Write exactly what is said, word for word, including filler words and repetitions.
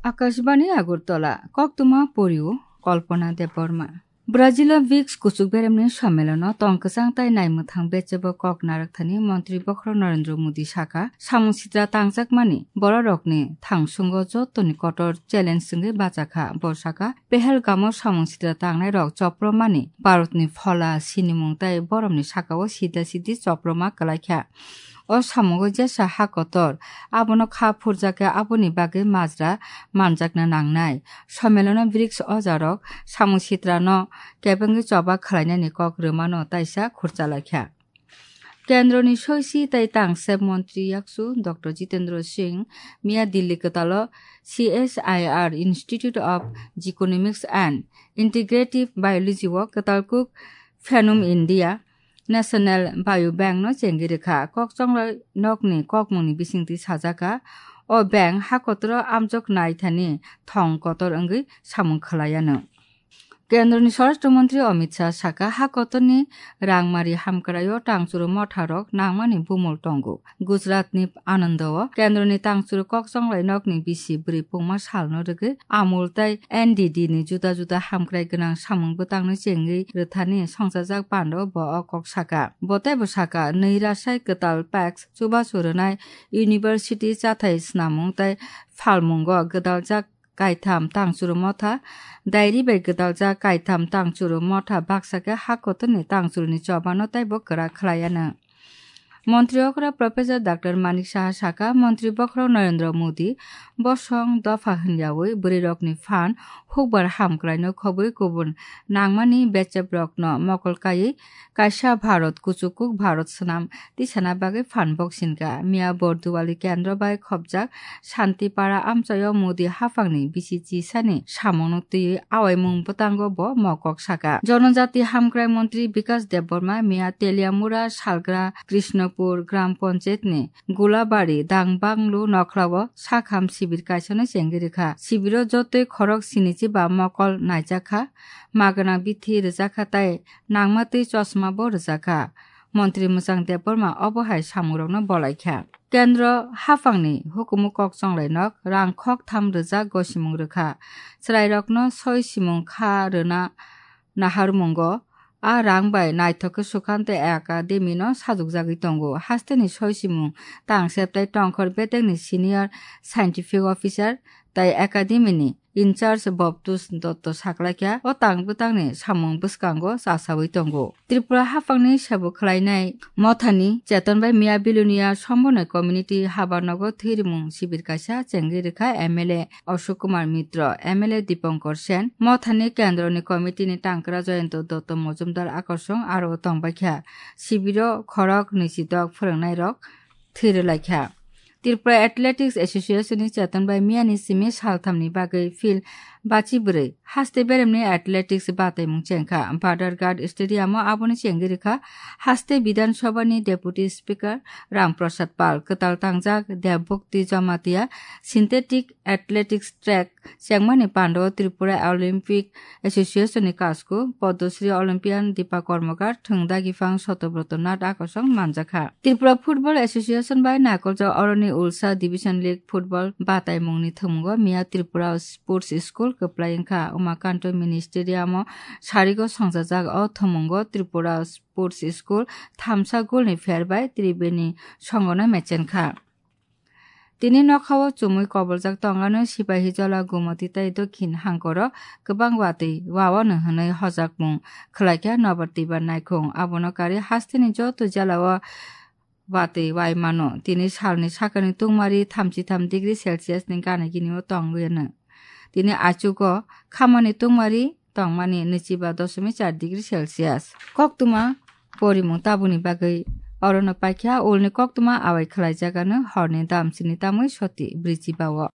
Akashbani Agartala, koktwma porio Kalpana Debbarma. Brazil o brics kuchuk beremni sommelono tong kwchang tai naimwthang bechebo kok narwkthani Montri Bokhorok Narendra Modi sakha, samung sitra tangjakmani bororokni thangsungo jotoni kotor challenge wngwi bachakha. Bo sakha, Pahalgamo samung sitra tangnairok chopromani Bharatni phola sinimung tai boromni sakao sida sidi choproma kwlaikha. O samungo jesa ha kotor, abono kha phurjakya, aboni bagwi majra manjakna nangnai. Sommelono brics ojarok samung sitrano kebengwi choba khlainani kok rwmano taisa khurchalaikha. Kendroni soisi tei tangsep montri yaksu Doctor Jitendra Singh miya Delhi kwtalo C S I R Institute of Genomics and Integrative Biology o kwtal kuk Phanom India National Biobank no chengwi rwkha. Kok chonglai nokni kokmungni bisingtwi sajaka, o bank ha kotoro amjok naithani thong kotor wngwi samung khlaiano. Kendroni Swarashtra Montri Amit Shah saka, ha kotorni rangmari hamkraio tangchuru motharok nangmani bumul tongo. Gujaratni Anando o kendroni tangchuru kok chonglai nokni bisi bwrwi pungma salno rwgwi Amul tei N D D ni juda juda hamkrai gwnang samung bwtangno chengwi rwthani songchajak pando bo o kok saka. Bo teibo saka, nwi rasai kwtal packs chubachu rwnai, university chathai snamung tei phalmungo gwdaljak kaitham tangchuru motha, diary bai gwdaljak kaitham tangchuru motha baksa khe ha kotorni tangchuruni chobano teibo kwrak khlaiano. Montri okra Professor Doctor Manik Saha saka, Montri Bokhorok Narendra Modi bosong dopha hwnyawi bwrwirokni phan hukbar hamkraino khobwi kubun nangmani becheprokno mokol kaiwi kaisa Bharat kuchukuk Bharat swnam tisana bagwi phan boksinka. Miya Borduwali kendro bai khopjak Shantipara amchaio Modi haphangni bisi chisani samungno twiwi awaimung bwtango bo mokok saka. Jonojati hamkrai montri Bikas Debbarma miya Teliamura salgra Krishnapur Gram Panchayatni Gulabari Dangbanglu nokhlao sakham sibir kaisano chengwi rwkha. Sibiro jotoi khorok sinichi ba mokol naijakha, magana bithi rwjakha tei nangma twi chosma bo rwjakha. Montri Mwchang Debbarma obo hai samungrokno bolaikha. Kendro haphangni hukumu kok chonglainok rang khok tham rwjak gosimung rwkha. Chwrairokno soi simung kha rwna naharmungo a rang bai naithok khe Sukanto Academy no sajukjagwi tongo. Hasteni soi simung tangsep tei tongkhor bedekni senior scientific officer tei Academy ni in charge Bobtus Dotto saklaikha, o tang bwtangni samung bwskango chasawi tongo. Tripura haphangni sabo khlainai mothani cheton bai miya Bilonia Sombonai community habarnogo thwirimung sibir kaisa chengwi rwkha M L A Ashok Kumar Mitro, M L A Dipankar Sen, mothani kendroni committee ni tangkra Jayanta Dotto Mojumdar akosong aro tongbaikha. Sibiro khorok nwisidok phwrwngnairok thwi rwlaikha. Tripura Athletics Association ni cheton bai miyani simi salthamni bagwi field bachi bwrwi haste beremni athletics bataimung chengkha. Badharghat Stadium o aboni chengwi rwkha haste Bidhan Sabha ni Deputy Speaker Ram Prasad Pal, kwtal tangjak Devbhakti Jamatia synthetic athletics track chengmani pando Tripura Olympic Association ni kasku Padma Shri Olympian Deepa Karmakar, thwng dagi phang Satyabrata Nath akosong manjakha. Tripura Football Association bai naikoljak oroni Ulsa Division League Football bataimungni thwngmungo miya Tripura Sports School kwplai wngkha. Umakanto Mini Stadium o sarigo songjajak o thwngmungo Tripura Sports School thamsa goal ni pher bai Tribeni songono mechenkha. Tini nokhao chumui koboljak tongano Sipahijola, Gumoti tei Dokhin hangkoro kwbang watwi wawano hwnwi hojakmung khlaikha Nobar Tibar Naikhung. Abono karwi hasteni joto jelao watwi wai mano. Tini salni sakani tungmari thamchi tham degree Celsius ni gana gini o tongwi no. Tini achugo khamani tungmari tongmani nwichiba doshomik char degree Celsius. Koktwma porimung tabukni bagwi orono paikha, ulni koktwma awai khlaijagano horni dam sini tamwi soti brichiba o.